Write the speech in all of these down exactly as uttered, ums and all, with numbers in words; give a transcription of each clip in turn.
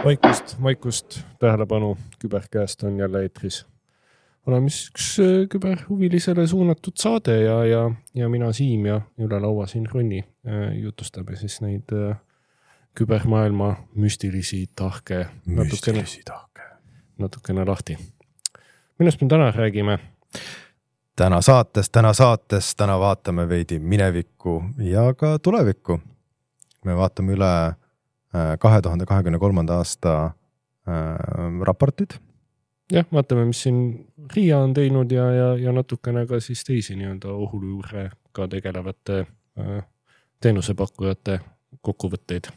Vaikust, vaikust, tähelepanu, küberkäest on jälle eetris. Oleme üks küberhuvilisele suunatud saade ja, ja, ja mina Siim ja üle laua siin Ronni jutustame siis neid kübermaailma müstilisi tahke natukene, müstilisi tahke. natukene lahti. Millest me täna räägime? Täna saates, täna saates, täna vaatame veidi minevikku ja ka tulevikku. Me vaatame üle kahe tuhande kahekümne kolmanda aasta äh, raportid. Jah, vaatame, mis siin RIA on teinud ja, ja, ja natukene ka siis teisi nii-öelda ohujuure ka tegelevate äh, teenusepakkujate kokkuvõtteid.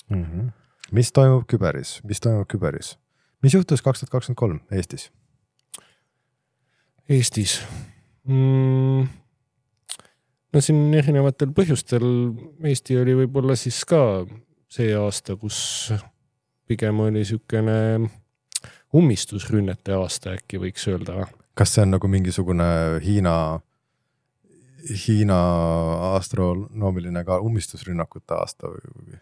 Mm-hmm. Mis toimub küberis? Mis toimub küberis? Mis juhtus kaks tuhat kakskümmend kolm Eestis? Eestis? Mm, no siin erinevatel põhjustel Eesti oli võib-olla siis ka see aasta, kus pigem oli sükene ummistusrünnete aasta äkki võiks öelda. Kas see on nagu mingisugune Hiina, Hiina astronoomiline ka ummistusrünnakute aasta või,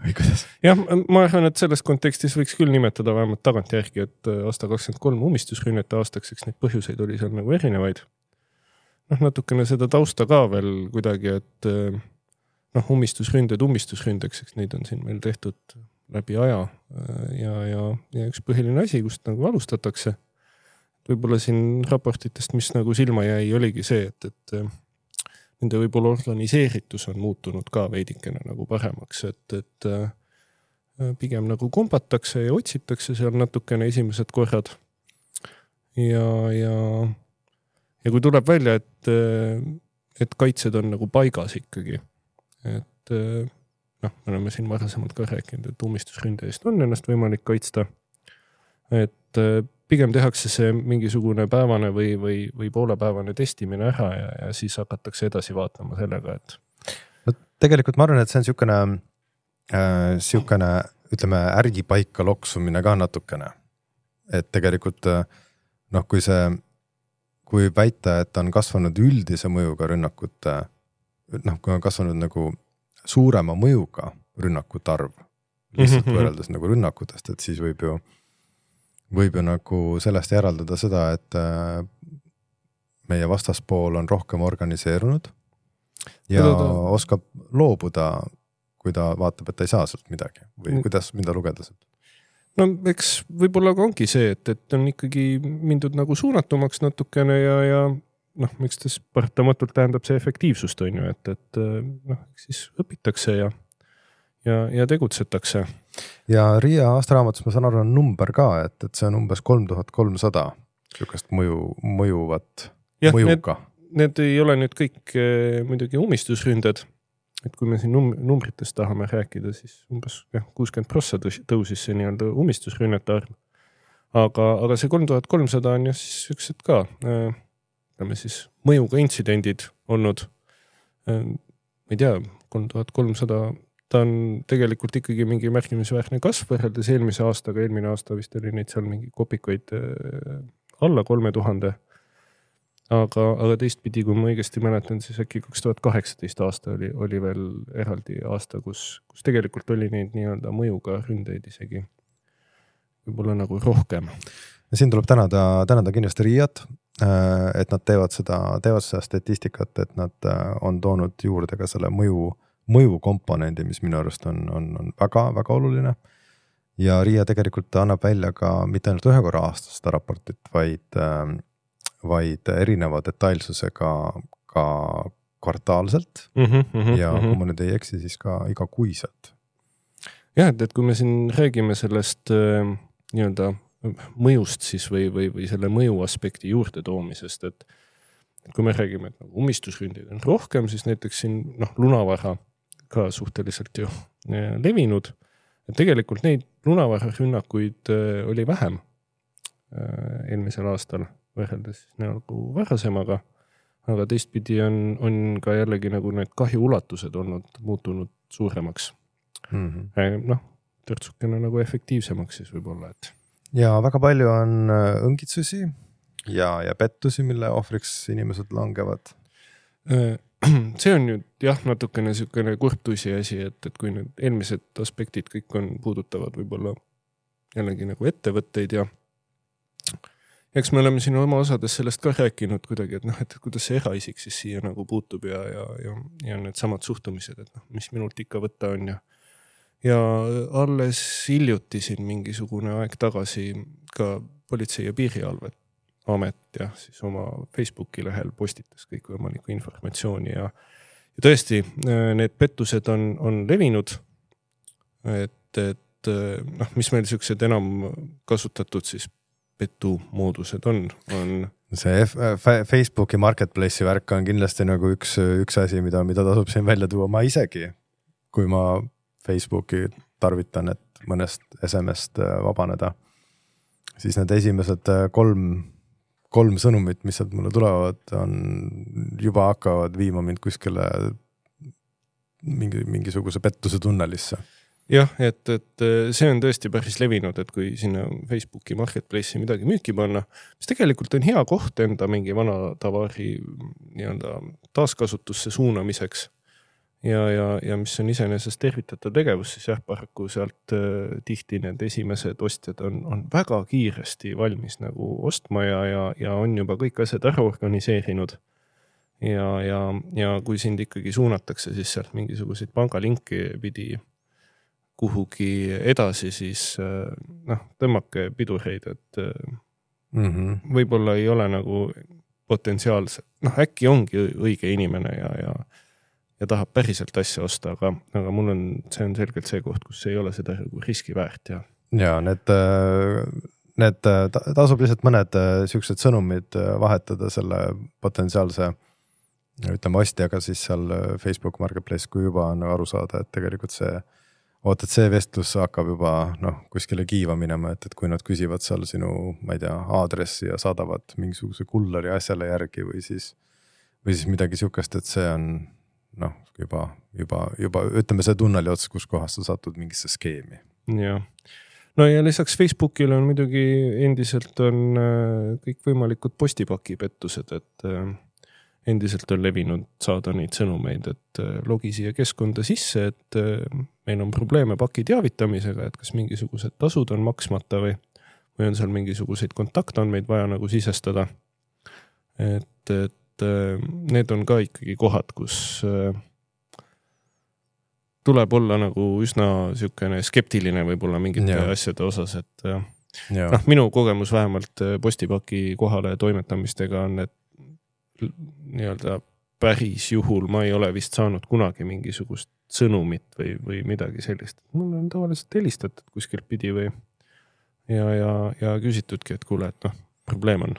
või kuidas? Jah, ma arvan, et selles kontekstis võiks küll nimetada vähemalt tagantjärgi, et aasta kakskümmend kolm ummistusrünnete aastaks, eks neid põhjuseid oli seal nagu erinevaid. Noh, natukene seda tausta ka veel kuidagi, et noh, ummistusründed ummistusründeks, eks neid on siin meil tehtud läbi aja ja, ja, ja üks põhiline asi, kust nagu alustatakse. Võib-olla siin raportitest, mis nagu silma jäi, oligi see, et, et nende võib-olla organiseeritus on muutunud ka veidikene nagu paremaks, et, et pigem nagu kombatakse ja otsitakse seal natukene esimesed korrad. Ja, ja, ja kui tuleb välja, et, et kaitsed on nagu paigas ikkagi, et noh, me oleme siin varasemalt ka rääkinud, et ummistusründe eest on ennast võimalik kaitsta. Et pigem tehakse see mingisugune päevane või, või, või poolepäevane testimine ära ja, ja siis hakatakse edasi vaatama sellega, et... No, tegelikult ma arvan, et see on siukene, äh, siukene, ütleme, ärgipaika loksumine ka natukene. Et tegelikult, noh, kui see, kui väita, et on kasvanud üldise mõjuga rünnakute, noh, kui on kasvanud nagu suurema mõjuga rünnakut arv, lihtsalt mm-hmm. võrreldes nagu rünnakutest, et siis võib ju, võib ju nagu sellest järaldada seda, et meie vastaspool on rohkem organiseerunud ja Tõda. oskab loobuda, kui ta vaatab, et ta ei saa sealt midagi või mm. kuidas, mida lugeda sealt? No eks võib-olla ka ongi see, et, et on ikkagi mindud nagu suunatumaks natukene ja, ja noh, miks tas paratamatult tähendab see efektiivsust on ju, et, et noh, siis õpitakse ja, ja, ja tegutsetakse. Ja RIA aastaraamatus ma saan aru on number ka, et, et see on umbes kolm tuhat kolmsada sükest mõju, mõjuvat ja, mõjuga. Need, need ei ole nüüd kõik eh, muidugi ummistusründed, et kui me siin num- numbritest tahame rääkida, siis umbes jah, kuuskümmend protsenti tõusis see nii-öelda ummistusrünnete arv. Aga, aga see kolm tuhat kolmsada on jah siis üksed ka eh, siis mõjuga intsidendid olnud, ma ei tea, kolm tuhat kolmsada, ta on tegelikult ikkagi mingi märkimisväärne kasv võrreldes eelmise aastaga, eelmine aasta vist oli neid seal mingi kopikuid alla kolme tuhande, aga, aga teistpidi, kui ma õigesti mäletan, siis äkki kaks tuhat kaheksateist aasta oli, oli veel eraldi aasta, kus, kus tegelikult oli neid nii-öelda mõjuga ründeid isegi võib-olla nagu rohkem. Ja siin tuleb tänada, tänada kindlasti RIAt, et nad teevad seda, teevad seda statistikat, et nad on toonud juurde ka selle mõju, mõju komponendi, mis minu arust on, on, on väga, väga oluline. Ja RIA tegelikult annab välja ka mitte ainult ühe korra aastas seda raportit, vaid, vaid erineva detailsusega ka kvartaalselt mm-hmm, mm-hmm, ja kui ma nüüd ei eksi, siis ka igakuiselt. Jah, et, et kui me siin räägime sellest äh, nii-öelda mõjust siis või, või, või selle mõju aspekti juurde toomisest, et kui me räägime, et nagu ummistusründeid on rohkem, siis näiteks siin noh, lunavara ka suhteliselt ju levinud, et tegelikult neid lunavara rünnakuid oli vähem eelmisel aastal võrreldes nagu varasemaga, aga teistpidi on, on ka jällegi nagu need kahju ulatused olnud muutunud suuremaks. Mm-hmm. Noh, törtsukene nagu efektiivsemaks siis võib-olla, et ja väga palju on õngitsusi ja, ja pettusi, mille ohvriks inimesed langevad. see on nüüd jah, natukene niisugune kurtusi asi, et, et kui need eelmised aspektid kõik on puudutavad võib-olla jällegi nagu ettevõtteid ja eks me oleme siin oma osades sellest ka rääkinud kuidagi, et noh, et kuidas see eraisik siis siia nagu puutub ja, ja, ja, ja need samad suhtumised, et noh, mis minult ikka võtta on ja ja alles hiljuti siin mingisugune aeg tagasi ka politsei- ja piirivalvet amet ja siis oma Facebooki lehel postitas kõikvõimalikku informatsiooni ja, ja tõesti need pettused on, on levinud, et, et noh, mis meil niisugused enam kasutatud siis petu moodused on, on see F Facebooki marketplace'i värk on kindlasti nagu üks, üks asi, mida, mida tasub siin välja tuua. Ma isegi, kui ma Facebooki tarvitan, et mõnest S M S-t vabaneda, siis need esimesed kolm, kolm sõnumit, mis sealt mulle tulevad, on juba hakkavad viima mind kuskile mingi, mingisuguse pettuse tunnelisse. Jah, et, et see on tõesti päris levinud, et kui sinna Facebooki marketplace'i midagi müüki panna, mis tegelikult on hea koht enda mingi vana tavaari nii-öelda taaskasutusse suunamiseks ja, ja, ja mis on iseenesest tervitatav tegevus, siis jah, paraku sealt äh, tihti need esimesed ostjad on, on väga kiiresti valmis nagu ostma ja, ja, ja on juba kõik asjad ära organiseerinud. Ja, ja, ja kui sind ikkagi suunatakse siis sealt mingisuguseid pangalinki pidi kuhugi edasi, siis noh, tõmmake pidureid, et mm -hmm. võib-olla ei ole nagu potentsiaalselt, noh äkki ongi õige inimene ja, ja, ja tahab päriselt asja osta, aga, aga mul on, see on selgelt see koht, kus ei ole seda riski väärt. Ja, ja need, need tasub lihtsalt mõned siuksed sõnumid vahetada selle potentsiaalse ütleme ostjaga siis seal Facebook Marketplace, kui juba on aru saada, et tegelikult see oot, et see vestlus hakkab juba noh, kuskile kiiva minema, et, et kui nad küsivad seal sinu, ma ei tea, aadressi ja saadavad mingisuguse kullari asjale järgi või siis, või siis midagi siukest, et see on noh, juba, juba, juba ütleme see tunneli ots, kus kohas sa satud mingisse skeemi. Ja. No ja lisaks Facebookile on muidugi endiselt on kõik võimalikud postipakipettused, et endiselt on levinud saada neid sõnumeid, et logi siia keskkonda sisse, et meil on probleeme paki teavitamisega, et kas mingisugused tasud on maksmata või, või on seal mingisuguseid kontaktandmeid vaja nagu sisestada. Et, et need on ka ikkagi kohad, kus tuleb olla nagu üsna siukene skeptiline võib-olla mingite ja. asjade osas, et noh, minu kogemus vähemalt postipaki kohale toimetamistega on, et nii-öelda päris juhul ma ei ole vist saanud kunagi mingisugust sõnumit või, või midagi sellist. Mul on tavaliselt helistatud kuskilt pidi või ja, ja, ja küsitudki, et kuule, et noh, probleem on.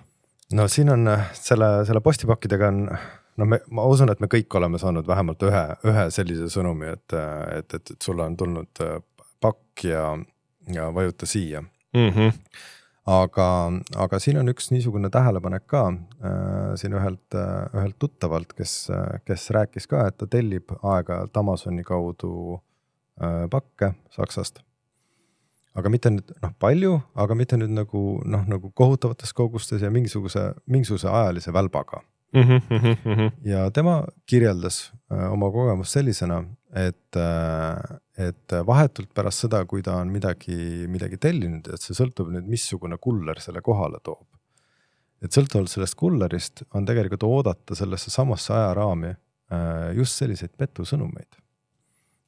No siin on selle, selle postipakkidega on, no me, ma usun, et me kõik oleme saanud vähemalt ühe, ühe sellise sõnumi, et, et, et, et sulle on tulnud pakk ja, ja vajuta siia. Mhm. Aga, aga siin on üks niisugune tähelepanek ka äh, siin ühelt, äh, ühelt tuttavalt, kes, kes rääkis ka, et ta tellib aeg-ajalt Amazoni kaudu äh, pakke Saksast. Aga mitte nüüd noh, palju, aga mitte nüüd nagu, noh, nagu kohutavates kogustes ja mingisuguse, mingisuguse ajalise välbaga. Mm-hmm, mm-hmm. Ja tema kirjeldas äh, oma kogemus sellisena, et, äh, et vahetult pärast seda, kui ta on midagi, midagi tellinud, et see sõltub nüüd, missugune kuller selle kohale toob. Et sõltuvalt sellest kullerist on tegelikult oodata sellesse samasse ajaraami äh, just selliseid petusõnumeid.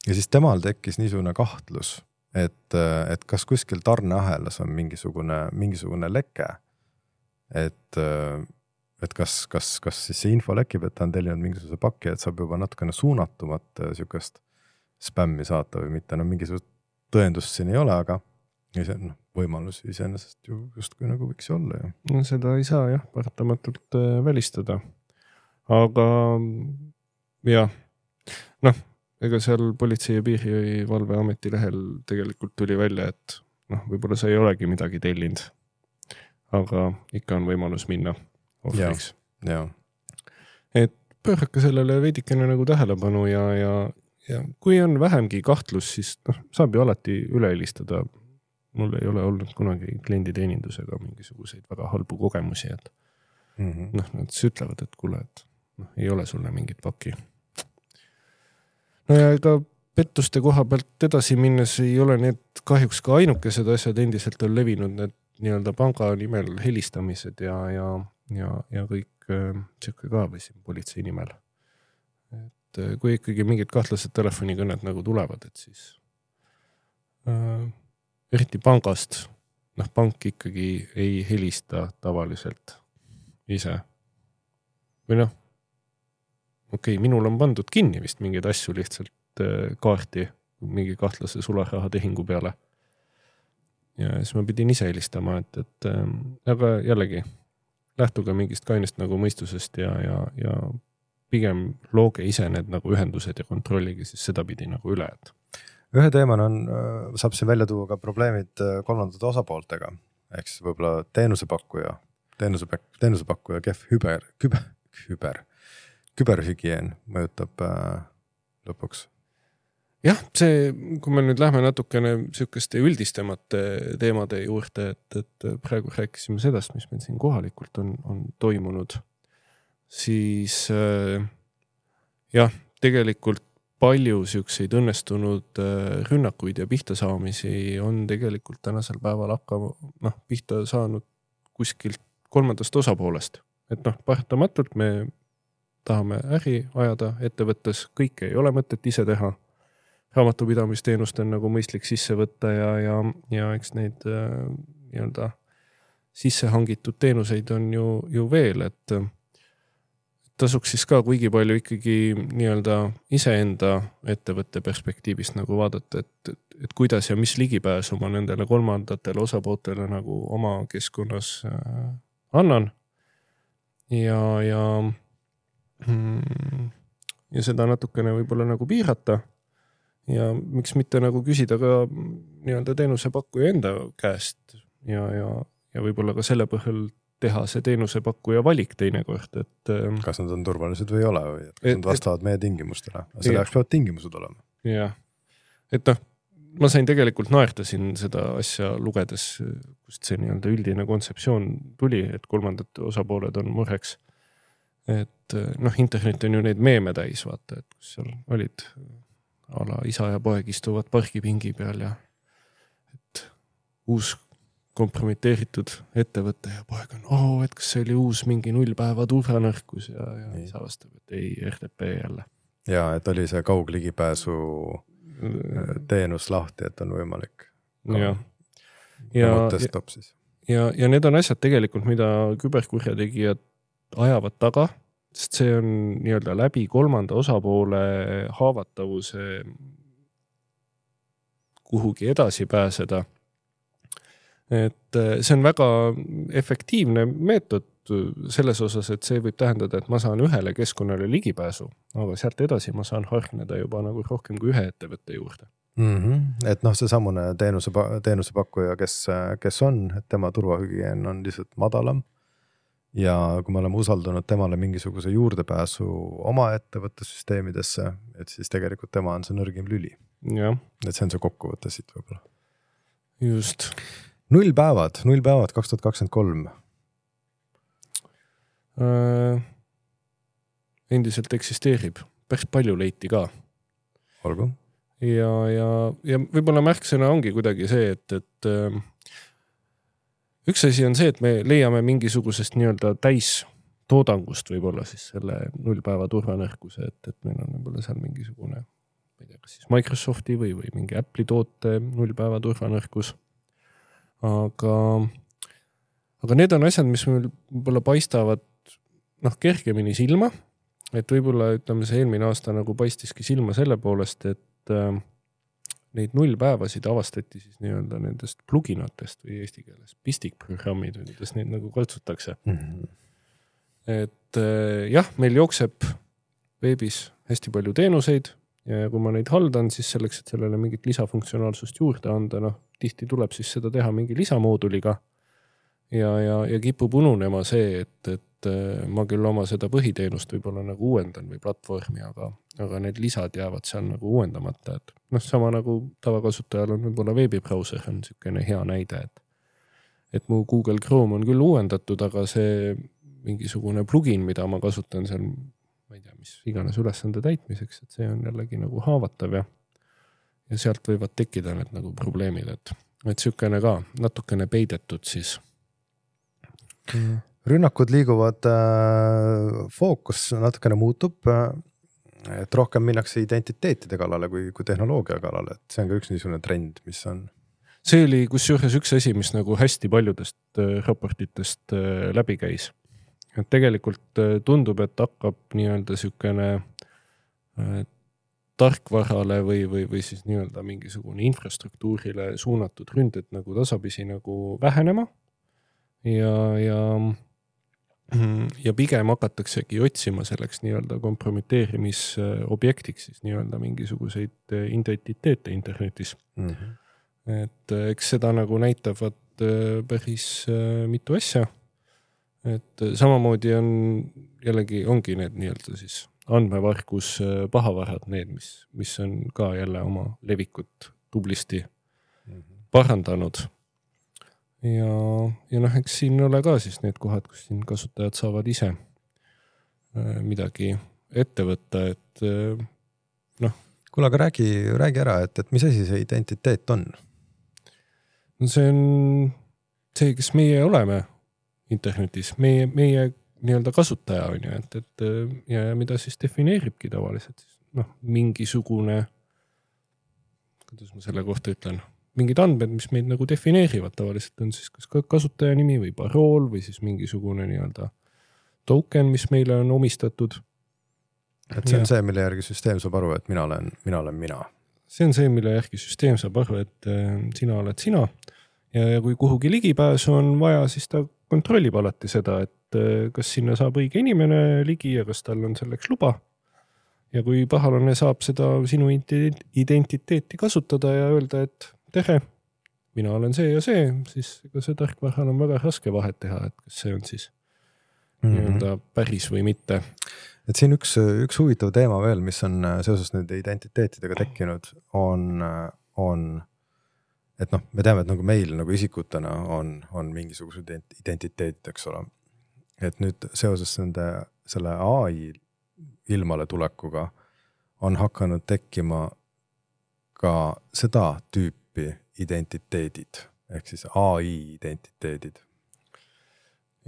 Ja siis temal tekkis niisugune kahtlus, et, et kas kuskil tarneahelas on mingisugune, mingisugune leke, et et kas, kas, kas siis see info lekib, et ta on tellinud mingisuguse pakki, et saab juba natukene suunatumat sükest spämmi saata või mitte. No mingisugust tõendust siin ei ole, aga ise, no, võimalus iseenesest ju just kui nagu võiks olla. Ju. No seda ei saa jah, paratamatult välistada. Aga jah, noh, ega seal politsei- ja piirivalveameti lehel tegelikult tuli välja, et noh, võib-olla sa ei olegi midagi tellinud, aga ikka on võimalus minna. Ja, ja. Et pöörake sellele veidikene nagu tähelepanu ja, ja, ja kui on vähemgi kahtlus, siis noh, saab ju alati üle helistada. Mul ei ole olnud kunagi klienditeenindusega mingisuguseid väga halbu kogemusi, et mm-hmm. noh, nad ütlevad, et kuule, et noh, ei ole sulle mingit paki. No ja ega pettuste koha pealt edasi minnes ei ole need kahjuks ka ainukesed asjad, endiselt on levinud need nii-öelda panga nimel helistamised ja, ja, ja, ja kõik äh, siuke ka või siin politsei nimel. Et äh, kui ikkagi mingid kahtlased telefonikõned nagu tulevad, et siis äh, eriti pangast, noh, pank ikkagi ei helista tavaliselt ise. Või noh, okei, okay, minul on pandud kinni vist mingeid asju lihtsalt äh, kaarti mingi kahtlase sularaha tehingu peale. Ja siis ma pidin ise helistama, et, et äh, aga jällegi lähtuge mingist kainest nagu mõistusest ja, ja, ja pigem looge ise need nagu ühendused ja kontrolligi siis seda pidi nagu üle. Et. Ühe teemana on, saab siin välja tuua ka probleemid kolmandate osapooltega, ehk siis võib-olla teenusepakkuja, teenusepakkuja, teenusepakkuja kehv hüber, küber, hüber, küberhügieen mõjutab äh, lõpuks. Jah, see, kui me nüüd lähme natukene sükeste üldistemate teemade juurde, et, et praegu rääkisime sedast, mis meil siin kohalikult on, on toimunud, siis äh, jah, tegelikult palju sükseid õnnestunud äh, rünnakuid ja pihta saamisi on tegelikult tänasel päeval hakka, noh, pihta saanud kuskilt kolmandast osapoolest. Et noh, paratamatult me tahame äri ajada ettevõttes, kõike ei ole mõtet ise teha. Raamatupidamisteenust on nagu mõistlik sisse võtta ja, ja, ja eks neid äh, nii-öelda sisse hangitud teenuseid on ju, ju veel, et tasuks siis ka kuigi palju ikkagi nii-öelda iseenda ettevõtte perspektiivist nagu vaadata, et, et, et kuidas ja mis ligipääsu ma nendele kolmandatele osapooltele nagu oma keskkonnas äh, annan ja, ja, mm, ja seda natukene võib-olla nagu piirata. Ja miks mitte nagu küsida ka nii-öelda teenusepakkuja enda käest ja, ja, ja võib-olla ka selle põhjal teha see teenusepakkuja valik teinekord, et kas nad on turvalised või ei ole või et, kas et, nad vastavad et, meie tingimustele. Selle jaoks peavad tingimused olema. Jah, et noh, ma sain tegelikult naerda siin seda asja lugedes, kust see nii-öelda üldine kontseptsioon tuli, et kolmandad osapooled on mureks. Et noh, internet on ju neid meeme täis, vaata, et kus seal olid ala isa ja poeg istuvad pargipingi peal ja et uus kompromiteeritud ettevõte ja poeg on, oh, et kas see oli uus mingi nullpäeva turvanõrkus ja, ja isa vastab, et ei, R D P jälle. Ja, et oli see kaugligipääsu teenus lahti, et on võimalik. Ja, ja, siis. ja, ja need on asjad tegelikult, mida küberkurjategijad ajavad taga, sest see on nii-öelda läbi kolmanda osapoole haavatavuse kuhugi edasi pääseda. Et see on väga efektiivne meetod selles osas, et see võib tähendada, et ma saan ühele keskkonnale ligipääsu, aga sealt edasi ma saan hargneda juba nagu rohkem kui ühe ettevõtte juurde. Mm-hmm. Et noh, see samune teenuse, teenusepakkuja, kes, kes on, et tema turvahügieen on lihtsalt madalam. Ja kui me oleme usaldanud temale mingisuguse juurdepääsu oma ettevõtte süsteemidesse, et siis tegelikult tema on see nõrgim lüli. Ja. Et see on see kokkuvõte siit võib-olla. Just. Null päevad, null päevad kaks tuhat kakskümmend kolm. Äh, endiselt eksisteerib. Päris palju leiti ka. Olgu. Ja, ja, ja võib-olla märksõna ongi kuidagi see, et, et äh, üks asi on see, et me leiame mingisugusest nii-öelda täis toodangust võib-olla siis selle nullpäeva turvanõrkuse, et, et meil on võib-olla seal mingisugune, ma ei tea, kas siis Microsofti või, või mingi Apple'i toote nullpäeva turvanõrkus. Aga, aga need on asjad, mis meil võib-olla paistavad noh, kergemini silma, et võib-olla ütleme see eelmine aasta nagu paistiski silma selle poolest, et äh, neid nullpäevasid avastati siis nii-öelda nendest pluginatest või eesti keeles pistikprogrammid, kuidas neid nagu katsutakse. Mm-hmm. Et jah, meil jookseb veebis hästi palju teenuseid ja kui ma neid haldan, siis selleks, et sellele mingit lisafunktsionaalsust juurde anda, noh, tihti tuleb siis seda teha mingi lisamooduliga ja, ja, ja kipub ununema see, et, et ma küll oma seda põhiteenust võib-olla nagu uuendan või platvormi, aga, aga need lisad jäävad seal nagu uuendamata, et noh, sama nagu tavakasutajal on võib-olla veebibrauser on niisugune hea näide, et, et mu Google Chrome on küll uuendatud, aga see mingisugune plugin, mida ma kasutan seal ma ei tea, mis iganes ülesande täitmiseks, et see on jällegi nagu haavatav ja, ja sealt võivad tekkida need nagu probleemid, et, et sükene ka natukene peidetud siis. Rünnakud liiguvad, fookus natukene muutub, et rohkem minnakse identiteetide kallale kui, kui tehnoloogia kallale, et see on ka üks niisugune trend, mis on. See oli kusjuures üks asi, mis nagu hästi paljudest raportitest läbi käis. Et tegelikult tundub, et hakkab nii-öelda sükene tarkvarale või, või, või siis nii-öelda mingisugune infrastruktuurile suunatud ründed nagu tasapisi nagu vähenema ja, ja ja pigem hakataksegi otsima selleks nii-öelda kompromiteerimisobjektiks siis nii-öelda mingisuguseid identiteete internetis. Mm-hmm. Et eks seda nagu näitavad päris mitu asja. Et samamoodi on jällegi ongi need nii-öelda siis andmevargus pahavarad, need, mis, mis on ka jälle oma levikut tublisti mm-hmm. parandanud. Ja, ja noh, eks siin ole ka siis need kohad, kus siin kasutajad saavad ise midagi ette võtta, et noh. Kuule, aga räägi, räägi ära, et, et mis asi see identiteet on? No see on see, kes meie oleme internetis, meie, meie nii-öelda kasutaja on ju, et, et ja mida siis defineeribki tavaliselt. Noh, mingisugune, kuidas ma selle kohta ütlen, mingid andmed, mis meid nagu defineerivad tavaliselt on siis kas kasutaja nimi või parool või siis mingisugune nii-öelda token, mis meile on omistatud. Et see on ja. see, mille järgi süsteem saab aru, et mina olen mina. Olen mina. See on see, mille järgi süsteem saab aru, et sina oled sina ja, ja kui kuhugi ligipääsu on vaja, siis ta kontrollib alati seda, et kas sinna saab õige inimene ligi ja kas tal on selleks luba. Ja kui pahalane saab seda sinu identiteeti kasutada ja öelda, et tere, mina olen see ja see, siis ega see tarkvaral on väga raske vahet teha, et kas see on siis mm-hmm. nii-öelda päris või mitte. Et siin üks, üks huvitav teema veel, mis on seoses nende identiteetidega tekkinud, on, on et noh, me teame, et nagu meil nagu isikutena on, on mingisugused identiteedid, eks ole. Et nüüd seoses nende, selle A I ilmale tulekuga on hakanud tekkima ka seda tüüpi identiteedid, ehk siis A I identiteedid.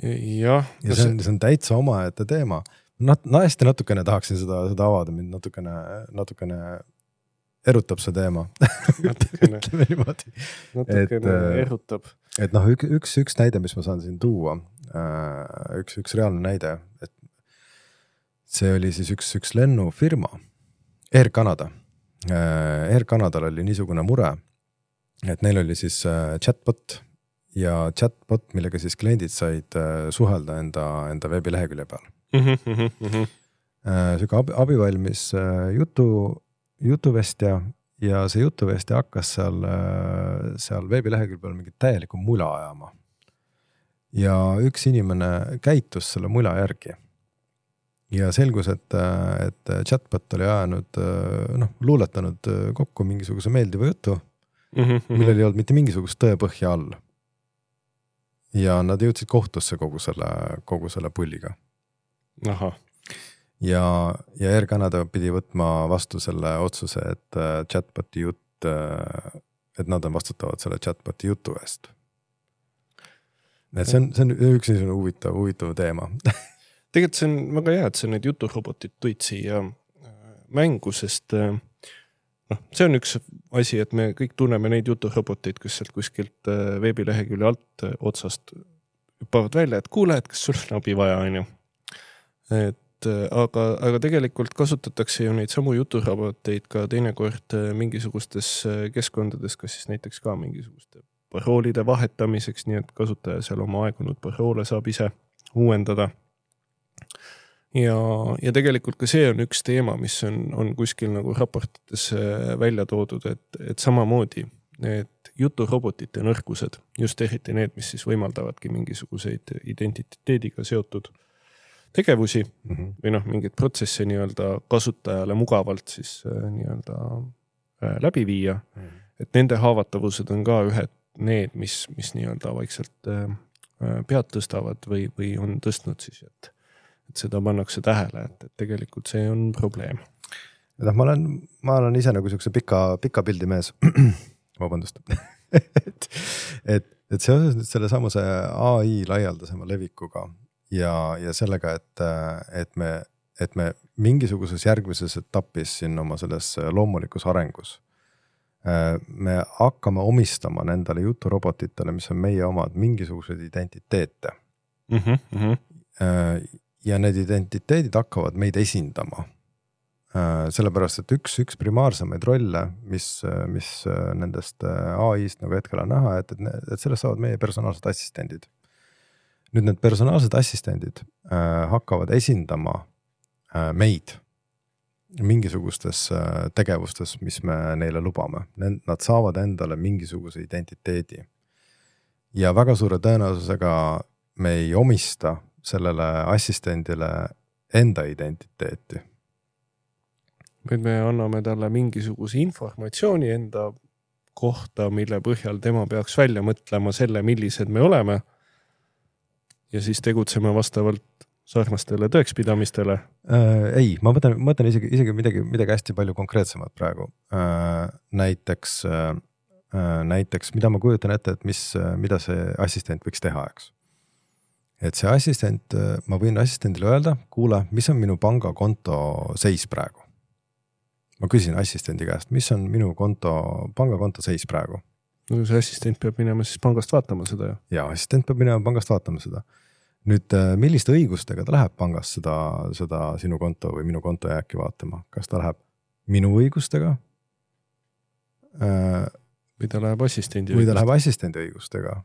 Ja, ja see on, see on täitsa omaette teema. Nat, hästi natukene tahaksin seda, seda avada, mind natukene, natukene erutab see teema. Natukene, natukene et, erutab. Et noh, üks, üks, üks näide, mis ma saan siin tuua, üks, üks reaalne näide, et see oli siis üks, üks lennufirma, Air Canada. Air Canadal oli niisugune mure, et neil oli siis chatbot ja chatbot, millega siis kliendid said suhelda enda, enda veebilehekülje peal. Mm-hmm, mm-hmm. Süga abi, abivalmis jutu, jutuvestja ja see jutuvestja hakkas seal, seal veebilehekülje peal mingit täielikku mula ajama. Ja üks inimene käitus selle mula järgi. Ja selgus, et, et chatbot oli ajanud, noh, luuletanud kokku mingisuguse meeldiva jutu, mm-hmm. millel ei olnud mitte mingisugust tõepõhja all. Ja nad jõudsid kohtusse kogu selle, kogu selle pulliga. Aha. Ja, ja Air Canada pidi võtma vastu selle otsuse, et chatboti jutt, et nad on vastutavad selle chatboti jutu eest. Et see on, see on üks niisugune huvitav, huvitav teema. Tegelikult see on väga hea, et see need juturobotid tuid siia mängu, sest noh, see on üks asi, et me kõik tunneme neid juturoboteid, kes sealt kuskilt veebilehekülje alt otsast hüppavad välja, et kuule, et kas sul on abi vaja, on ju. Et aga, aga tegelikult kasutatakse ju neid samu juturoboteid ka teinekord mingisugustes keskkondades, kas siis näiteks ka mingisuguste paroolide vahetamiseks, nii et kasutaja seal oma aegunud paroole saab ise uuendada. Ja, ja tegelikult ka see on üks teema, mis on, on kuskil nagu raportites välja toodud, et, et samamoodi need juturobotite nõrkused, just eriti need, mis siis võimaldavadki mingisuguseid identiteediga seotud tegevusi mm-hmm. või noh, mingid protsesse nii-öelda kasutajale mugavalt siis nii-öelda läbi viia, mm-hmm. et nende haavatavused on ka ühed need, mis, mis nii-öelda vaikselt pead tõstavad või, või on tõstnud siis, et et seda pannakse tähele, et, et tegelikult see on probleem. No, ma olen, ma olen ise nagu siukse pika, pika pildi mees. Vabandust. et, et, et seoses nüüd selle samuse A I laialdasema levikuga ja, ja sellega, et, et me, et me mingisuguses järgmises etapis siin oma selles loomulikus arengus me hakkame omistama nendele juturobotitele, mis on meie omad, mingisuguseid identiteete. Mm-hmm, mm-hmm. Ja need identiteedid hakkavad meid esindama. Sellepärast, et üks, üks primaarsemaid rolle, mis, mis nendest A I-st nagu hetkel on näha, et, et sellest saavad meie personaalsed assistendid. Nüüd need personaalsed assistendid hakkavad esindama meid mingisugustes tegevustes, mis me neile lubame. Nad saavad endale mingisuguse identiteedi. Ja väga suure tõenäosusega me ei omista sellele assistendile enda identiteeti. Nüüd me anname talle mingisuguse informatsiooni enda kohta, mille põhjal tema peaks välja mõtlema selle, millised me oleme. Ja siis tegutseme vastavalt sarnastele tõekspidamistele. Äh, ei, ma mõtlen, mõtlen isegi, isegi midagi, midagi hästi palju konkreetsemat praegu. Äh, näiteks, äh, näiteks, mida ma kujutan ette, et mis, mida see assistent võiks teha, eks. Et see assistent, ma võin assistendile öelda, kuule, mis on minu pangakonto seis praegu? Ma küsin assistendi käest, mis on minu konto, pangakonto seis praegu? No see assistent peab minema siis pangast vaatama seda. Ja assistent peab minema pangast vaatama seda. Nüüd, milliste õigustega ta läheb pangast seda, seda sinu konto või minu konto jääki vaatama? Kas ta läheb minu õigustega? Või ta läheb assistendi õigustega? Või ta läheb assistendi õigustega?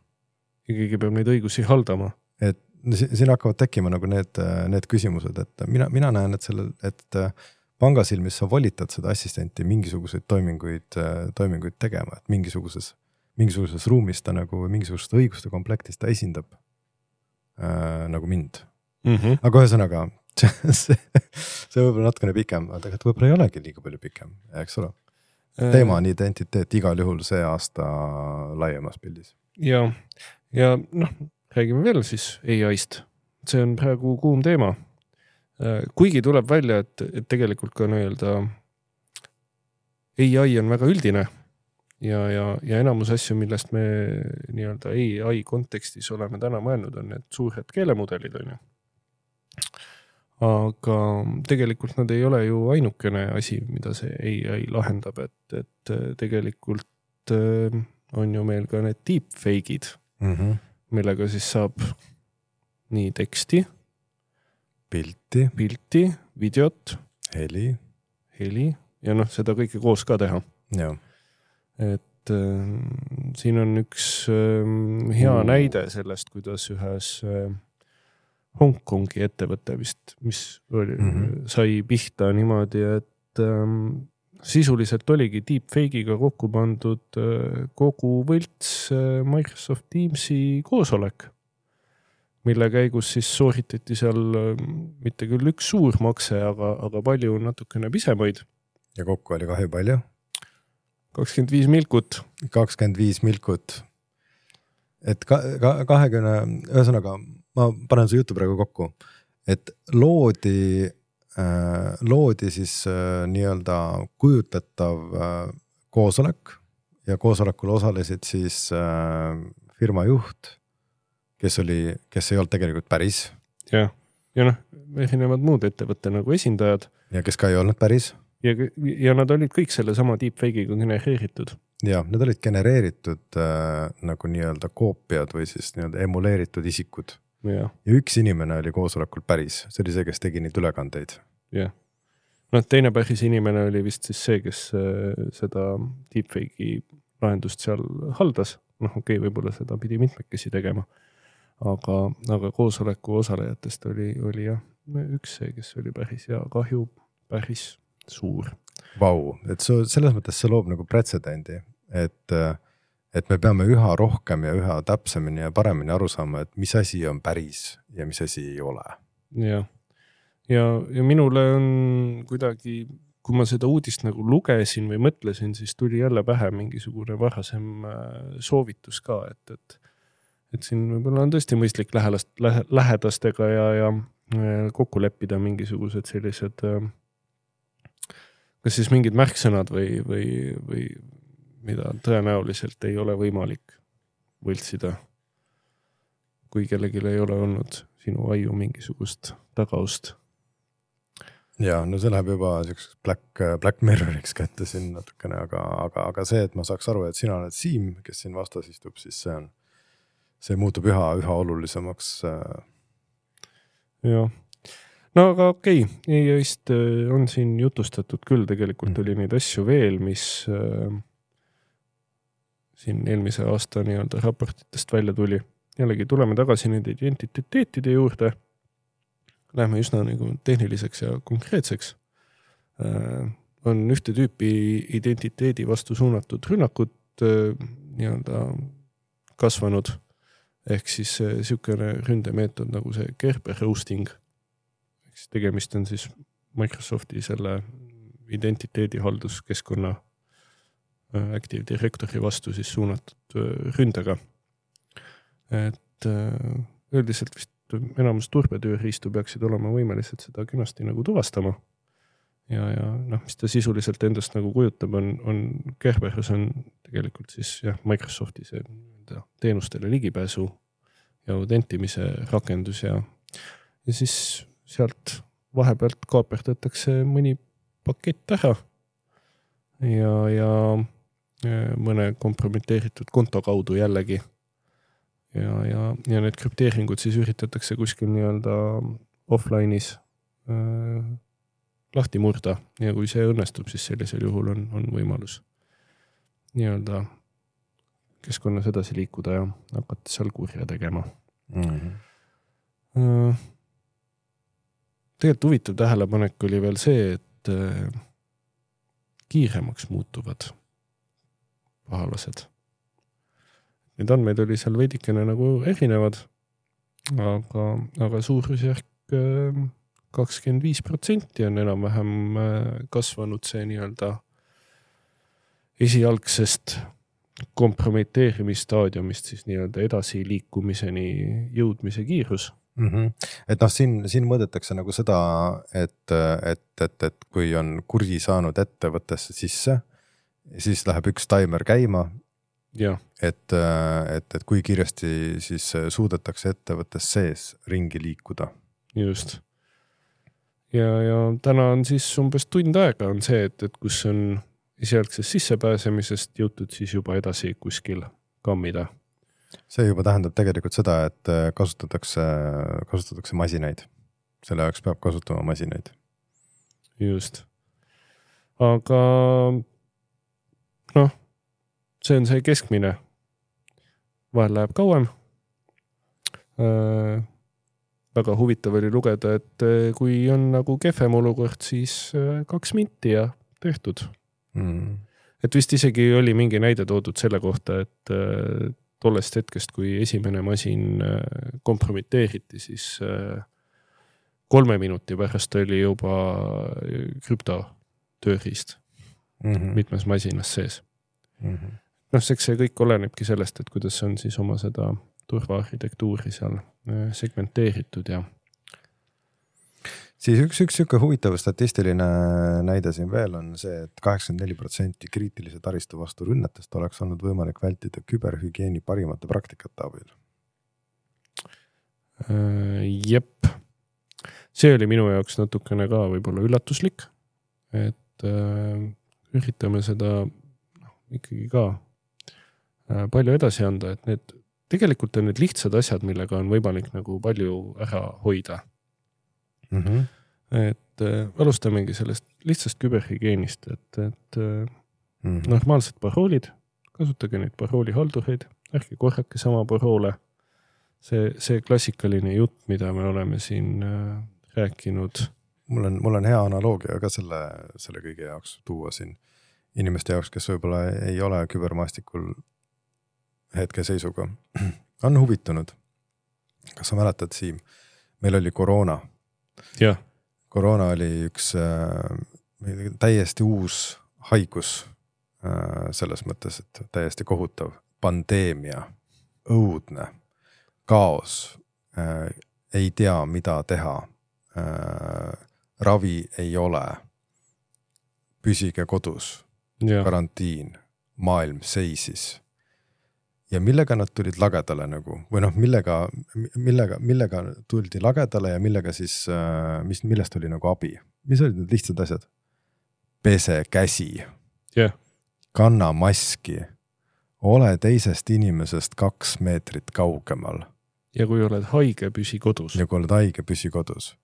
Ja keegi peab neid õigusi haldama. Et siin hakkavad tekkima nagu need, need küsimused, et mina, mina näen, et, selle, et pangasilmis sa volitad seda assistenti mingisuguseid toiminguid, toiminguid tegema, et mingisuguses, mingisuguses ruumis ta nagu mingisugust õiguste komplektis ta esindab Äh, nagu mind. Mm-hmm. Aga ühesõnaga, see, see võib-olla natukene pikem, aga tegelikult võib-olla ei olegi liiga palju pikem, eks ole. Teema on identiteet igal juhul see aasta laiemas pildis. Ja, ja noh, räägime veel siis A I-st. See on praegu kuum teema. Kuigi tuleb välja, et, et tegelikult ka nii-öelda A I on väga üldine. Ja, ja, ja enamus asju, millest me nii-öelda A I kontekstis oleme täna mõelnud, on need suured keelemudelid. On ju. Aga tegelikult nad ei ole ju ainukene asi, mida see A I lahendab, et, et tegelikult on ju meil ka need deepfake'id, mm-hmm. millega siis saab nii teksti, pilti, pilti, videot, heli, heli ja noh, seda kõike koos ka teha. Jah. Et äh, siin on üks äh, hea mm. näide sellest, kuidas ühes äh, Hongkongi ettevõte vist, mis oli, mm-hmm. sai pihta niimoodi, et äh, sisuliselt oligi deepfake'iga kokku pandud äh, kogu võlts äh, Microsoft Teamsi koosolek, mille käigus siis sooritati seal äh, mitte küll üks suur makse, aga, aga palju natukene pisemaid. Ja kokku oli kahju palju? kakskümmend viis milkut. kakskümmend viis milkut. Et ka, ka, kahekümne, ühesõnaga, ma panen su jutu praegu kokku, et loodi, äh, loodi siis äh, nii-öelda kujutatav äh, koosolek ja koosolekul osalesid siis äh, firma juht, kes oli, kes ei olnud tegelikult päris. Ja, ja noh, erinevad muud ettevõtte nagu esindajad. Ja kes ka ei olnud päris. Ja, ja nad olid kõik selle sama deepfake'iga genereeritud. Ja, need olid genereeritud äh, nagu nii-öelda koopiad või siis nii-öelda emuleeritud isikud. Ja. ja üks inimene oli koosolekul päris. See oli see, kes tegi neid ülekandeid. Ja. No, teine päris inimene oli vist siis see, kes äh, seda deepfake'i lahendust seal haldas. Noh, okei, okay, võib-olla seda pidi mitmekesi tegema. Aga, aga koosoleku osalejatest oli, oli jah, üks see, kes oli päris ja kahju päris suur. Vau, et su, selles mõttes see loob nagu pretsedendi, et, et me peame üha rohkem ja üha täpsemini ja paremini aru saama, et mis asi on päris ja mis asi ei ole. Ja, ja, ja minule on kuidagi, kui ma seda uudist nagu lugesin või mõtlesin, siis tuli jälle pähe mingisugune varasem soovitus ka, et, et, et siin võib-olla on tõesti mõistlik lähelast, lähe, lähedastega ja, ja kokku leppida mingisugused sellised, kas siis mingid märksõnad või, või, või mida tõenäoliselt ei ole võimalik võltsida, kui kellelgi ei ole olnud sinu aju mingisugust tagaust. Ja, no see läheb juba Black, Black Mirroriks kätte siin natukene, aga, aga, aga see, et ma saaks aru, et sina oled Siim, kes siin vastas istub, siis see on, see muutub üha, üha olulisemaks. Jah, no aga okei, okay. E A I-st on siin jutustatud küll, tegelikult oli neid asju veel, mis äh, siin eelmise aasta nii-öelda raportitest välja tuli. Jällegi tuleme tagasi nende identiteetide juurde. Lähme üsna nagu tehniliseks ja konkreetseks. Äh, on ühte tüüpi identiteedi vastu suunatud rünnakud äh, nii-öelda kasvanud. Ehk siis siukene ründemeetod nagu see Kerber roasting. Ehk tegemist on siis Microsofti selle identiteedi halduskeskkonna äh, Active Directory vastu siis suunatud äh, ründega. Et äh, üldiselt vist enamus turbetööriistu peaksid olema võimelised seda kenasti nagu tuvastama. Ja, ja noh, mis ta sisuliselt endast nagu kujutab, on, on Kerberos on tegelikult siis jah, Microsofti see teenustele ligipääsu ja autentimise rakendus ja, ja siis sealt vahepealt kaaperdatakse mõni pakett ära ja, ja mõne kompromiteeritud konto kaudu jällegi. Ja, ja, ja need krüpteeringud siis üritatakse kuskil nii-öelda offline'is äh, lahti murda ja kui see õnnestub, siis sellisel juhul on, on võimalus nii-öelda keskkonnas edasi liikuda ja hakata seal kurja tegema. Mm-hmm. Äh, tegelikult huvitav tähelepanek oli veel see, et äh, kiiremaks muutuvad pahalased. Need andmeid oli seal veidikene nagu erinevad, aga, aga suurusjärk kakskümmend viis protsenti on enam-vähem kasvanud see nii-öelda esialgsest kompromiteerimisstaadiumist siis nii-öelda edasi liikumiseni jõudmise kiirus. Mm-hmm. Et noh, siin, siin mõõdetakse nagu seda, et, et, et, et kui on kurji saanud ettevõttesse sisse, siis läheb üks timer käima. Ja. Et, et, et kui kiiresti siis suudetakse ettevõttes sees ringi liikuda. Just. Ja, ja täna on siis umbes tund aega on see, et, et kus on esialgsest sissepääsemisest jõutud siis juba edasi kuskil kammida. See juba tähendab tegelikult seda, et kasutatakse, kasutatakse masinaid. Selle jaoks peab kasutama masinaid. Just. Aga noh, see on see keskmine. Vahel läheb kauem. Äh, väga huvitav oli lugeda, et kui on nagu kehvem olukord, siis kaks minti ja tehtud. Mm. Et vist isegi oli mingi näide toodud selle kohta, et tollest hetkest, kui esimene masin kompromiteeriti, siis kolme minuti pärast oli juba krüptotööriist mm-hmm. mitmes masinas sees. Mm-hmm. Noh, seks see kõik olenebki sellest, et kuidas on siis oma seda turvaarhitektuuri seal segmenteeritud ja siis üks, üks üks huvitav statistiline näide siin veel on see, et kaheksakümmend neli protsenti kriitilise taristu vastu rünnetest oleks olnud võimalik vältida küberhügieeni parimate praktikate abil. Jep. See oli minu jaoks natukene ka võib-olla üllatuslik, et äh, üritame seda no, ikkagi ka äh, palju edasi anda, et need tegelikult on need lihtsad asjad, millega on võimalik nagu palju ära hoida. Mm-hmm. Et äh, alustamegi sellest lihtsast küberhügieenist, et, et äh, mm-hmm. normaalsed paroolid, kasutage neid paroolihaldureid, ärge korrake sama paroole. See, see klassikaline jutt, mida me oleme siin äh, rääkinud. Mul on, mul on hea analoogia ka selle, selle kõige jaoks tuua siin inimeste jaoks, kes võib-olla ei ole kübermaastikul hetke seisuga. On huvitunud. Kas sa mäletad, Siim? Meil oli koroona. Ja. Koroona oli üks äh, täiesti uus haigus äh, selles mõttes, et täiesti kohutav pandeemia, õudne, kaos, äh, ei tea, mida teha. äh, ravi ei ole, püsige kodus, ja. Karantiin, maailm seisis. Ja millega nad tulid lagedale nagu, või noh, millega, millega, millega tuldi lagedale ja millega siis, mis, millest oli nagu abi? Mis olid need lihtsad asjad? Pese käsi, yeah. Kanna maski, ole teisest inimesest kaks meetrit kaugemal. Ja kui oled haige, püsi kodus. Ja kui oled haige, püsi kodus.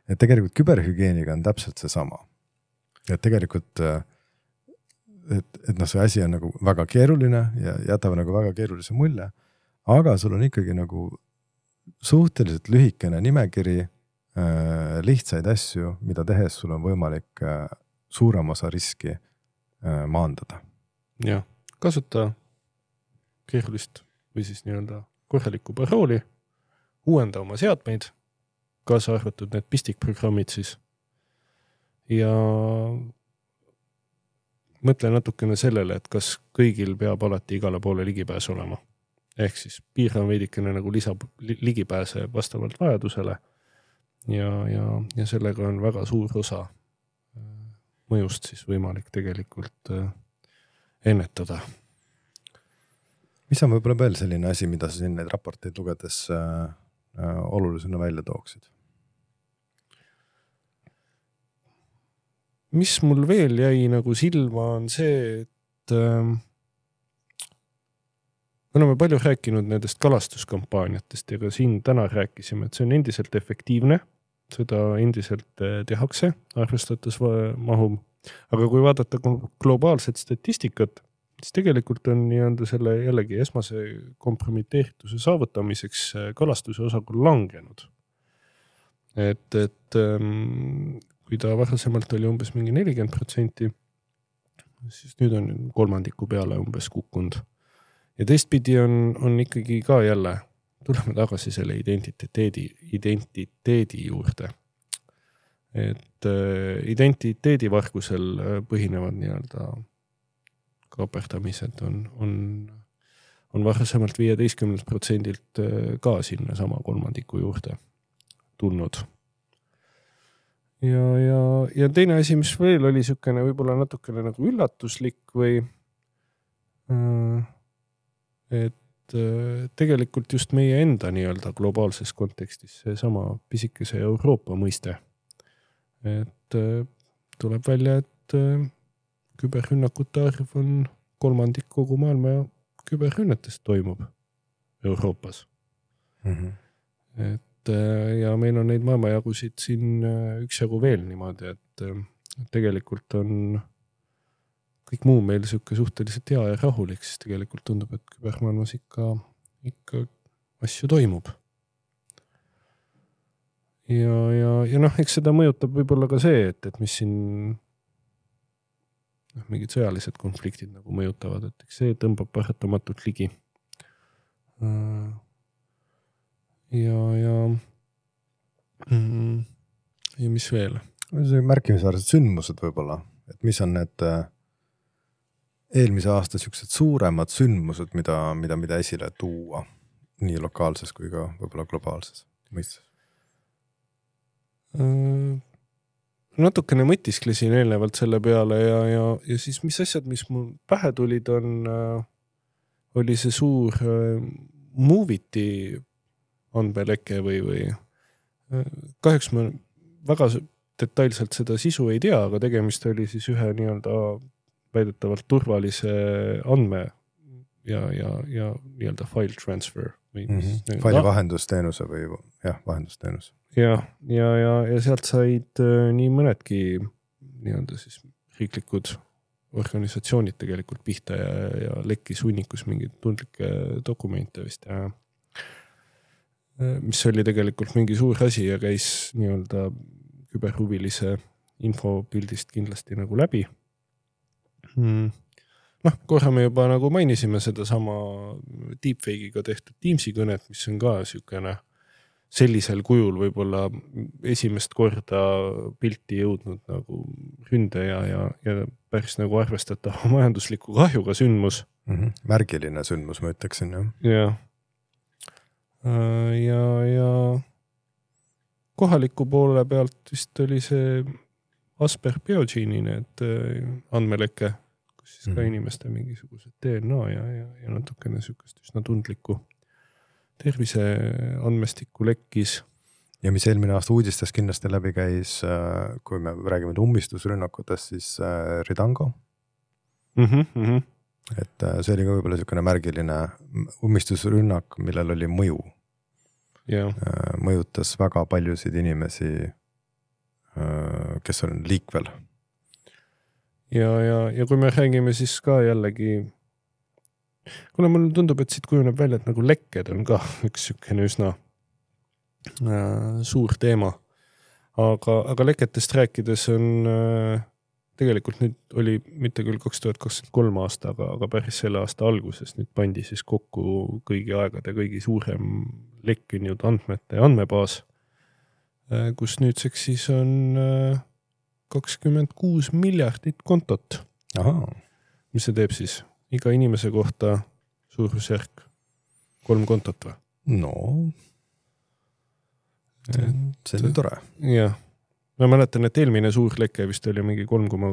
Et tegelikult küberhügeeniga on täpselt see sama. Et tegelikult et, et noh, see asi on nagu väga keeruline ja jätab nagu väga keerulise mulje, aga sul on ikkagi nagu suhteliselt lühikene nimekiri äh, lihtsaid asju, mida tehes sul on võimalik äh, suurem osa riski äh, maandada. Ja, kasuta keerulist või siis nii-öelda korralikku parooli, uuenda oma seadmeid, kaasa arvatud need pistikprogrammid siis ja mõtle natukene sellele, et kas kõigil peab alati igale poole ligipääs olema. Ehk siis piiran veidikene nagu lisab ligipääse vastavalt vajadusele ja, ja, ja sellega on väga suur osa mõjust siis võimalik tegelikult ennetada. Mis on võib-olla veel selline asi, mida sa siin neid raporteid lugedes äh, äh, olulisena välja tooksid? Mis mul veel jäi nagu silma on see, et äh, me oleme palju rääkinud nendest kalastuskampaaniatest ja ka siin täna rääkisime, et see on endiselt efektiivne, seda endiselt tehakse, arvestates mahu. Aga kui vaadata globaalset statistikat, siis tegelikult on nii-anda selle jällegi esmase kompromiteerituse saavutamiseks kalastuse osakul langenud. Et, et ähm, kui ta varasemalt oli umbes mingi nelikümmend protsenti, siis nüüd on kolmandiku peale umbes kukkunud. Ja teistpidi on, on ikkagi ka jälle, tuleme tagasi selle identiteedi, identiteedi juurde. Et äh, identiteedivargusel põhinevad nii-öelda kaperdamised on, on, on varasemalt viieteistkümnelt protsendilt ka sinna sama kolmandiku juurde tulnud. Ja, ja, ja teine asi, mis veel oli sükene võib-olla natukene nagu üllatuslik või et tegelikult just meie enda nii-öelda globaalses kontekstis see sama pisikese Euroopa mõiste. Et tuleb välja, et küberrünnakute arv on kolmandik kogu maailma ja küberrünnetest toimub Euroopas. Mm-hmm. Et ja meil on neid maailmajagusid siin üksjagu veel niimoodi, et tegelikult on kõik muu meil sükke suhteliselt hea ja rahulik, siis tegelikult tundub, et kübermaailmas ikka, ikka asju toimub. Ja, ja, ja noh, eks seda mõjutab võib-olla ka see, et, et mis siin noh, mingid sõjalised konfliktid nagu mõjutavad, et eks see tõmbab paratamatult ligi. Ja, ja, mm, ja mis veel? See märkimisväärsed sündmused võib-olla, et mis on need eelmise aasta siuksed suuremad sündmused, mida, mida, mida esile tuua nii lokaalses kui ka võib-olla globaalses mõistes? Natukene mõtisklesin eelnevalt selle peale ja, ja, ja siis mis asjad, mis mul pähe tulid, on, oli see suur Moviti andmeleke või, või kahjuks ma väga detailselt seda sisu ei tea, aga tegemist oli siis ühe nii-öelda väidetavalt turvalise andme ja, ja, ja nii-öelda file transfer. Või mm-hmm. Faili vahendusteenuse või jah, vahendusteenus. Ja, ja, ja, ja sealt said nii mõnedki nii-öelda siis riiklikud organisatsioonid tegelikult pihta ja, ja lekkis hunnikus mingid tundlikke dokumente vist ja mis oli tegelikult mingi suur asi ja käis nii-öelda küberhuvilise infopildist kindlasti nagu läbi. Hmm. Noh, korra me juba nagu mainisime seda sama deepfake'iga tehtud Teamsi kõnet, mis on ka sükene sellisel kujul võib-olla esimest korda pilti jõudnud nagu ründe ja, ja, ja päris nagu arvestatava majandusliku kahjuga sündmus. Mm-hmm. Märgiline sündmus, ma ütleksin. Jah. Ja. Ja, ja kohaliku poole pealt vist oli see Asper Biogene'i need andmeleke, kus siis ka inimeste mingisugused D N A ja, ja, ja natukene sükast üsna tundlikku tervise andmestikku lekkis. Ja mis eelmine aasta uudistes kindlasti läbi käis, kui me räägime ummistusrünnakutest, siis Ridango. Mm-hmm, mm-hmm. Et see oli ka võib-olla niisugune märgiline ummistusrünnak, millel oli mõju. Yeah. Mõjutas väga paljusid inimesi, kes on liikvel. Ja, ja, ja kui me räägime siis ka jällegi, kuna mulle tundub, et siit kujuneb välja, et nagu lekked on ka üks sükene üsna äh, suur teema. Aga, aga leketest rääkides on äh, tegelikult nüüd oli mitte küll kaks tuhat kakskümmend kolm aasta, aga, aga päris selle aasta alguses nüüd pandi siis kokku kõigi aegade kõigi suurem lekkinud andmete andmebaas, kus nüüdseks siis on kakskümmend kuus miljardit kontot. Aha. Mis see teeb siis? Iga inimese kohta suurusjärk kolm kontot või? No, see, see on tore. Jah. Ma mäletan, et eelmine suur leke vist oli mingi kolm koma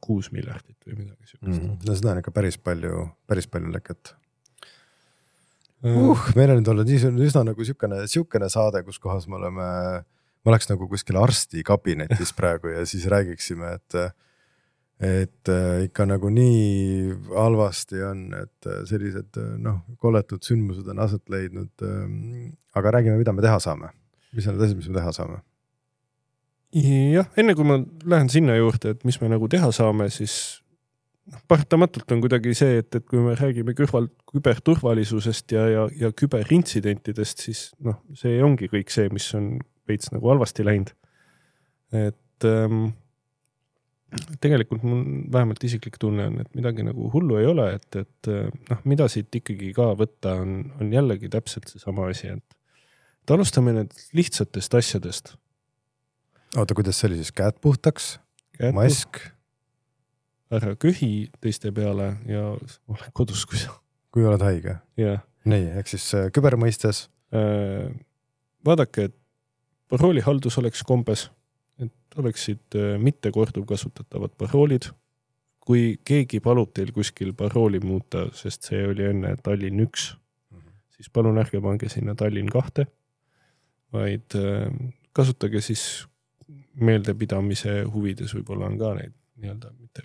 kuus miljardit või midagi sükast. Mm, no seda on ikka päris palju, päris palju leket. Uh, meil on nüüd olnud üsna nagu sükene, sükene saade, kus kohas me oleme, ma oleks nagu kuskil arsti kabinetis praegu ja siis räägiksime, et, et ikka nagu nii halvasti on, et sellised noh, koletud sündmused on aset leidnud, aga räägime, mida me teha saame. Mis on need asjad, mis me teha saame? Jah, enne kui ma lähen sinna juurde, et mis me nagu teha saame, siis paratamatult on kuidagi see, et, et kui me räägime kõrval küberturvalisusest ja, ja, ja küberintsidentidest, siis noh, see ongi kõik see, mis on veits nagu halvasti läinud. Et ähm, tegelikult mul vähemalt isiklik tunne on, et midagi nagu hullu ei ole, et, et noh, mida siit ikkagi ka võtta on, on jällegi täpselt see sama asi, et, et alustame need lihtsatest asjadest. Oota, kuidas see oli siis käed puhtaks, käed mask? Puht. Ära köhi teiste peale ja ole kodus, kui sa... Kui oled haige? Yeah. Nii, ehk siis kübermõistes? Äh, vaadake, et paroolihaldus oleks kombes, et oleksid mitte korduv kasutatavad paroolid. Kui keegi palub teil kuskil parooli muuta, sest see oli enne Tallinn üks, mm-hmm. siis palun ärge pange sinna Tallinn kahte, vaid äh, kasutage siis meeldepidamise huvides võib-olla on ka neid nii-öelda mitte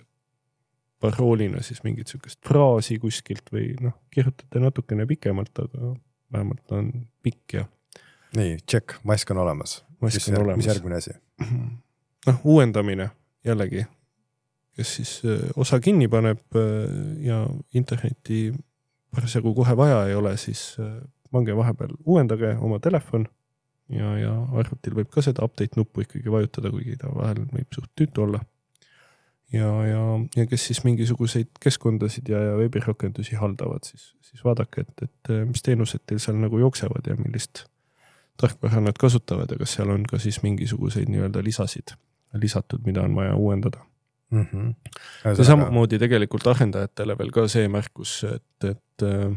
paroolina siis mingit sükest fraasi kuskilt või noh, kirjutate natukene pikemalt, aga vähemalt on pikk ja... Nii, check, mask on olemas. Mask on mis, olemas. Mis järgmine asi? Noh, uuendamine jällegi, kes siis osa kinni paneb ja interneti parasjagu kohe vaja ei ole, siis pange vahepeal uuendage oma telefon ja, ja arvutil võib ka seda update nuppu ikkagi vajutada, kuigi ta vahel võib suht tüütu olla. Ja, ja, ja kes siis mingisuguseid keskkondasid ja, ja veebirakendusi haldavad, siis, siis vaadake, et, et mis teenused teil seal nagu jooksevad ja millist tarkvara nad kasutavad ja kas seal on ka siis mingisuguseid nii-öelda lisasid lisatud, mida on vaja uuendada. Mm-hmm. Ja samamoodi tegelikult arendajatele veel ka see märkus, et, et äh,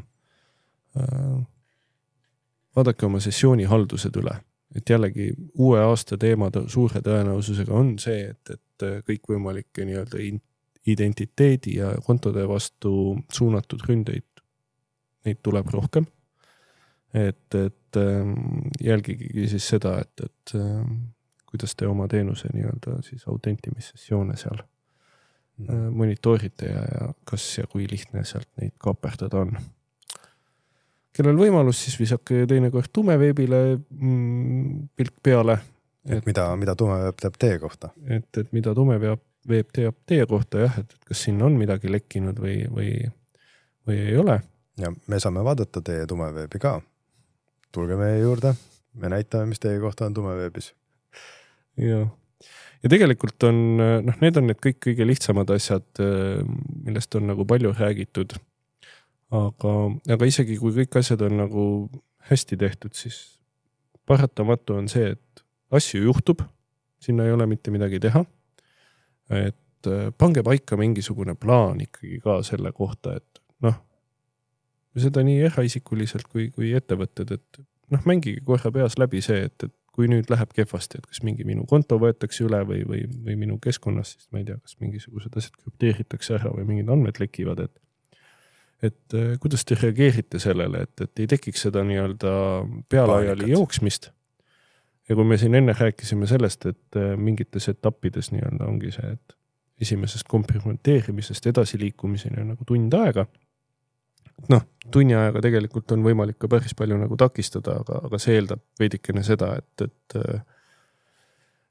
vaadake oma sessiooni haldused üle. Et jällegi uue aasta teema suure tõenäosusega on see, et, et kõik võimalikke nii-öelda identiteedi ja kontode vastu suunatud ründeid, neid tuleb rohkem. Et, et jälgigi siis seda, et, et kuidas te oma teenuse nii-öelda siis autentimissessioone seal mm. monitoorite ja, ja kas ja kui lihtne sealt neid kaaperdada on. Kellel võimalus, siis visake teinekord tumeveebile mm, pilk peale. Et, et mida, mida tumeveeb teab teie kohta? Et, et mida tumeveeb teab teie kohta, jah, et, et kas siin on midagi lekkinud või, või, või ei ole. Ja me saame vaadata teie tumeveebi ka. Tulge meie juurde, me näitame, mis teie kohta on tumeveebis. Ja. ja tegelikult on, noh, need on need kõik kõige lihtsamad asjad, millest on nagu palju räägitud. Aga, aga isegi kui kõik asjad on nagu hästi tehtud, siis paratamatu on see, et asju juhtub, sinna ei ole mitte midagi teha. Et pange paika mingisugune plaan ikkagi ka selle kohta, et noh, seda nii eraisikuliselt kui, kui ettevõtted, et noh, mängige korra peas läbi see, et, et kui nüüd läheb kehvasti, et kas mingi minu konto võetakse üle või, või, või minu keskkonnas, siis ma ei tea, kas mingisugused asjad krüpteeritakse ära või mingid andmed lekivad, et et kuidas te reageerite sellele, et, et ei tekiks seda nii-öelda pealaiali jooksmist. Ja kui me siin enne rääkisime sellest, et mingites etappides nii-öelda ongi see, et esimesest komprimenteerimisest edasiliikumiseni on nagu tund aega. Noh, tunni ajaga tegelikult on võimalik ka päris palju nagu takistada, aga, aga see eeldab veidikene seda, et, et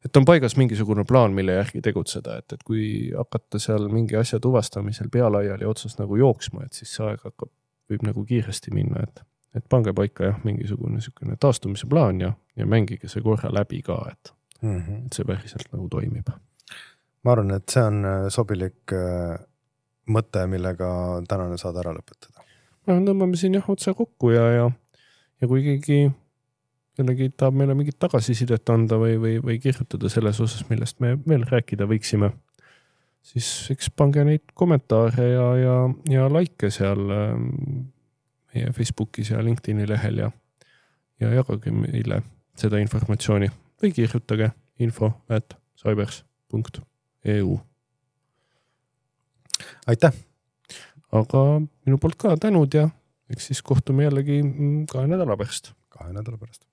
et on paigas mingisugune plaan, mille järgi tegutseda, et, et kui hakata seal mingi asja tuvastamisel pealaiali otsas nagu jooksma, et siis see aeg hakkab, võib nagu kiiresti minna, et, et pange paika jah, mingisugune niisugune taastumise plaan ja, ja mängige see korra läbi ka, et, mm -hmm. et see päriselt nagu toimib. Ma arvan, et see on sobilik mõte, millega tänane saad ära lõpetada. Ma tõmbame siin jah otsa kokku ja, ja, ja kui keegi kellegi tahab meile mingit tagasisidet anda või, või, või kirjutada selles osas, millest me veel rääkida võiksime, siis eks pange neid kommentaare ja, ja, ja like seal meie Facebookis ja LinkedIni lehel ja, ja jagage meile seda informatsiooni või kirjutage info at cybers punkt e u. Aitäh! Aga minu poolt ka tänud ja eks siis kohtume jällegi kahe nädala pärast. Kahe nädala pärast.